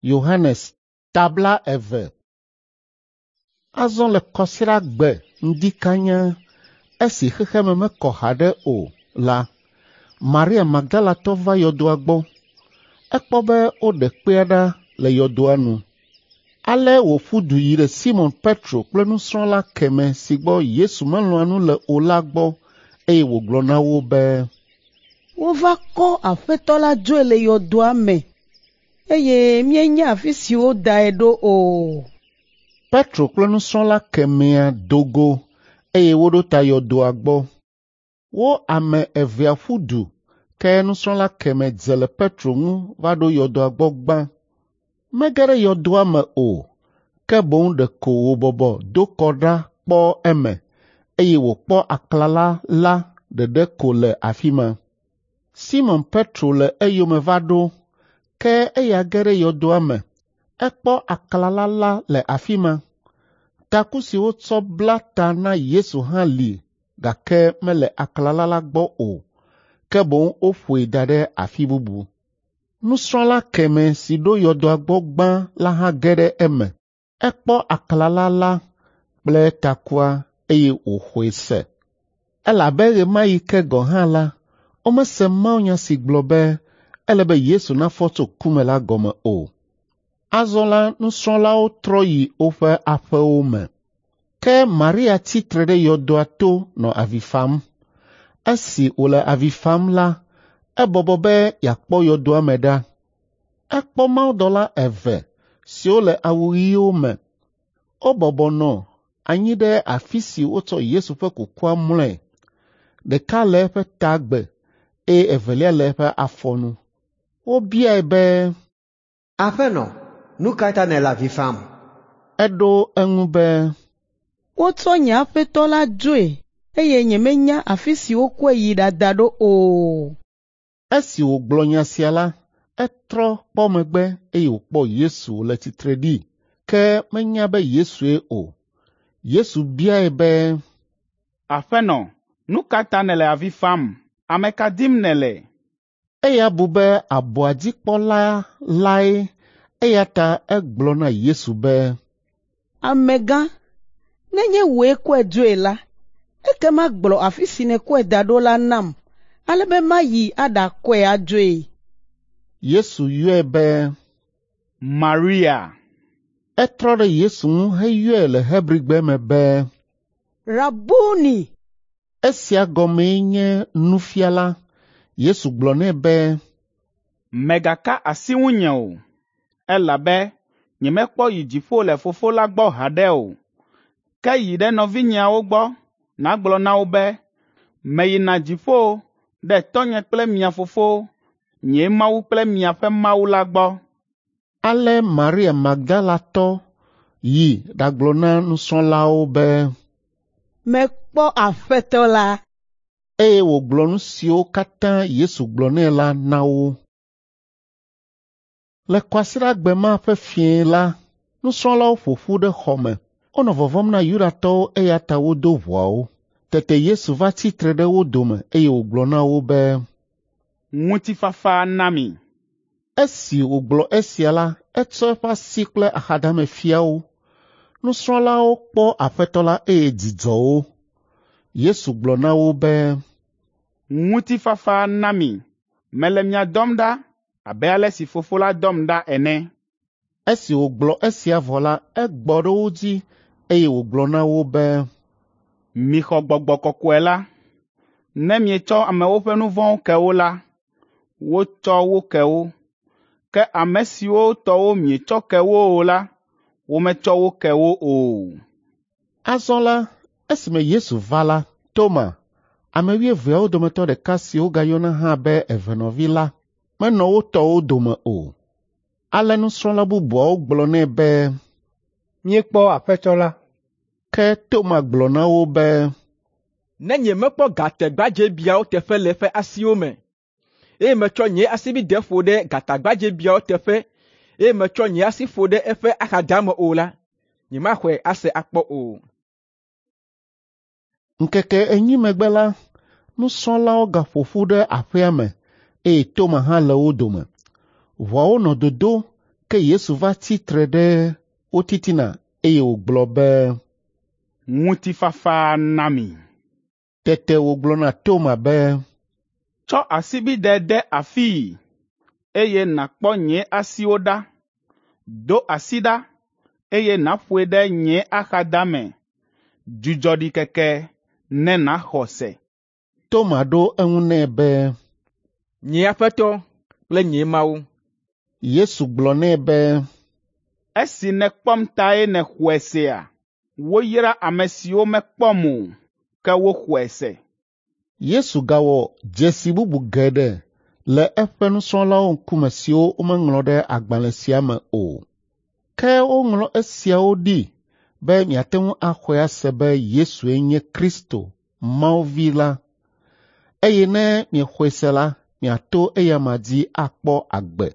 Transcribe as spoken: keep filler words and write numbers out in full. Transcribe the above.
Yohanes tabla eve. Azɔ le kɔsiɖagbe ŋdi kanya esi xexeme mekɔ haɖe o la, Maria Magdalatɔ va yɔdoa gbɔ. Ekpɔ be woɖe kpea ɖa le yɔdoa nu. Ale wòƒu du yi ɖe Simɔn Petro kple nusrɔ̃la kemɛ si gbɔ Yesu melɔ̃a nu le o la gbɔ eye wògblɔ na wo be, Wova kɔ Aƒetɔ la dzoe le yɔdoa me eye míenya afi si wodae ɖo o. Petro kple nusrɔ̃la kemɛa do go eye woɖo ta yɔdoa gbɔ. Wo ame evea ƒu du ke nusrɔ̃la kemɛ dze le Petro ŋu va ɖo yɔdoa gbɔ gbã. Mege ɖe yɔdoa me o, ke boŋ ɖeko wòbɔbɔ do kɔ ɖa kpɔ eme eye wòkpɔ aklala la ɖeɖe ko le afi ma. Simɔn Petro le eyome va ɖo, ke eya ge ɖe yɔdoa me. Ekpɔ aklala la le afi ma. Taku si wotsɔ bla ta na Yesu hã li gake mele aklala la gbɔ o, ke boŋ woƒoe da ɖe afi bubu. Nusrɔ̃la kemɛ si ɖo yɔdoa gbɔ gbã la hã ge ɖe eme. Ekpɔ aklala la kple takua eye wòxɔe se. Elabe ɣe ma ɣi ke gɔ̃ hã la, womese mawunya si gblɔ be ele be Yesu nafɔ tso ku me la gɔme o. Azɔ la nusrɔ̃lawo trɔ yi woƒe aƒewo me. Ke Maria tsi tre ɖe yɔdoa to nɔ avi fam. Esi wòle avi fam la, ebɔbɔ be yeakpɔ yɔdoa me ɖa. Ekpɔ mawudɔla eve siwo le awu ɣiwo me. Wobɔbɔ nɔ anyi ɖe afi si wotsɔ Yesu ƒe kukua mlɔe. Ɖeka le eƒe tagbe eye evelia le eƒe afɔnu. Wobiae be, Aƒenɔ, nu ka ta nèle avi fam? Eɖo eŋu be, Wotsɔ nye Aƒetɔ la dzoe eye nyemenya afi si wokɔe yi ɖada ɖo o. Esi wògblɔ nya sia la, etrɔ kpɔ megbe eye wòkpɔ Yesu wòle tsitre ɖi, ke menya be Yesue o. Yesu biae be, Aƒenɔ, nu ka ta nèle avi fam? Ame ka dim nèle? Eya bu be abɔa dzikpɔla lae eya ta egblɔ na Yesu be, Amegã, nenye wòe kɔe dzoe la, ekema gblɔ afi si nèkɔe da ɖo la nam ale be mayi aɖakɔe adzoe. Yesu yɔe be, Maria. Etrɔ ɖe Yesu ŋu heyɔe le Hebrigbe me be, Rabuni! Esia gɔmee nye nufiala. Yesu gblɔ nɛ be, Mègaka asi ŋunye o, elabe nyemekpɔ yi dziƒo le Fofo la gbɔ haɖe o. Ke yi ɖe nɔvinyeawo gbɔ nàgblɔ na wo be, meyina dziƒo ɖe tɔnye kple mia fofo, nye Mawu kple miaƒe Mawu la gbɔ. Ale Maria Magdalatɔ yi ɖagblɔ na nusrɔ̃lawo be, Mekpɔ Aƒetɔ la. Eye wògblɔ nu siwo katã Yesu gblɔ nɛ la na wo. Le kɔsiɖagbe ma ƒe fiẽ la, nusrɔ̃lawo ƒo ƒu ɖe xɔ me. Wonɔ vɔvɔ̃m na Yudatɔwo eya ta wodo ʋɔawo. Tete Yesu va tsi tre ɖe wo dome eye wògblɔ na wo be, Ŋutifafa na mi. Esi wògblɔ esia la, etsɔ eƒe asi kple axadame fia wo. Nusrɔ̃lawo kpɔ Aƒetɔ la eye dzi dzɔ wo. Yesu gblɔ na wo be, Ŋutifafa na mi. Mele mia dɔm ɖa abe ale si Fofo la dɔm ɖa ene. Esi wògblɔ esia vɔ la, egbɔ ɖe wo dzi eye wògblɔ na wo be, Mixɔ Gbɔgbɔ Kɔkɔe la. Ne mietsɔ amewo ƒe nu vɔ̃wo ke wo la, wotsɔ wo ke wo. Ke ame siwo tɔwo mietsɔ ke wo o la, wometsɔ wo ke wo o. Azɔ la, esime Yesu va la, Toma, ame wuieveawo dometɔ ɖeka si wogayɔna hã be evenɔvi la, menɔ wo tɔwo dome o. Ale nusrɔ̃la bubuawo gblɔ nɛ be, Míekpɔ Aƒetɔ la. Ke Toma gblɔ na wo be, Ne nyemekpɔ gatagbadzɛbiawo teƒe le eƒe asiwo me, eye metsɔ nye asibidɛ ƒo ɖe gatagbadzɛbiawo teƒe, eye metsɔ nye asi ƒo ɖe eƒe axadame o la, nyemaxɔe ase akpɔ o. Ŋkeke enyi megbe la, nusrɔ̃lawo gaƒo ƒu ɖe aƒea me eye Toma hã le wo dome. Ʋɔawo nɔ dodo, Ke Yesu va tsitre ɖe wo titina eye wògblɔ be, Ŋutifafa na mi. Tete wògblɔ na Toma be, Tsɔ asibidɛ de afii, eye nàkpɔ nye asiwo ɖa. Do asi ɖa, eye nàƒoe ɖe nye axadame. Dzudzɔ ɖikeke ne nàxɔ se.” Toma ɖo eŋu nɛ be, Nye Aƒetɔ kple nye Mawu. Yesu gblɔ nɛ be, Esi nèkpɔm tae nèxɔe sea? Woyra ame siwo mekpɔm o, ke woxɔe se.” Yesu gawɔ dzesi bubu geɖe le eƒe nusrɔ̃lawo ŋkume siwo womeŋlɔ ɖe agbalẽ sia me o. Ke woŋlɔ esiawo ɖi be miate ŋu axɔe ase be Yesue nye Kristo, Mawu Vi la, eye ne miexɔe se la, miato eya dzi akpɔ agbe.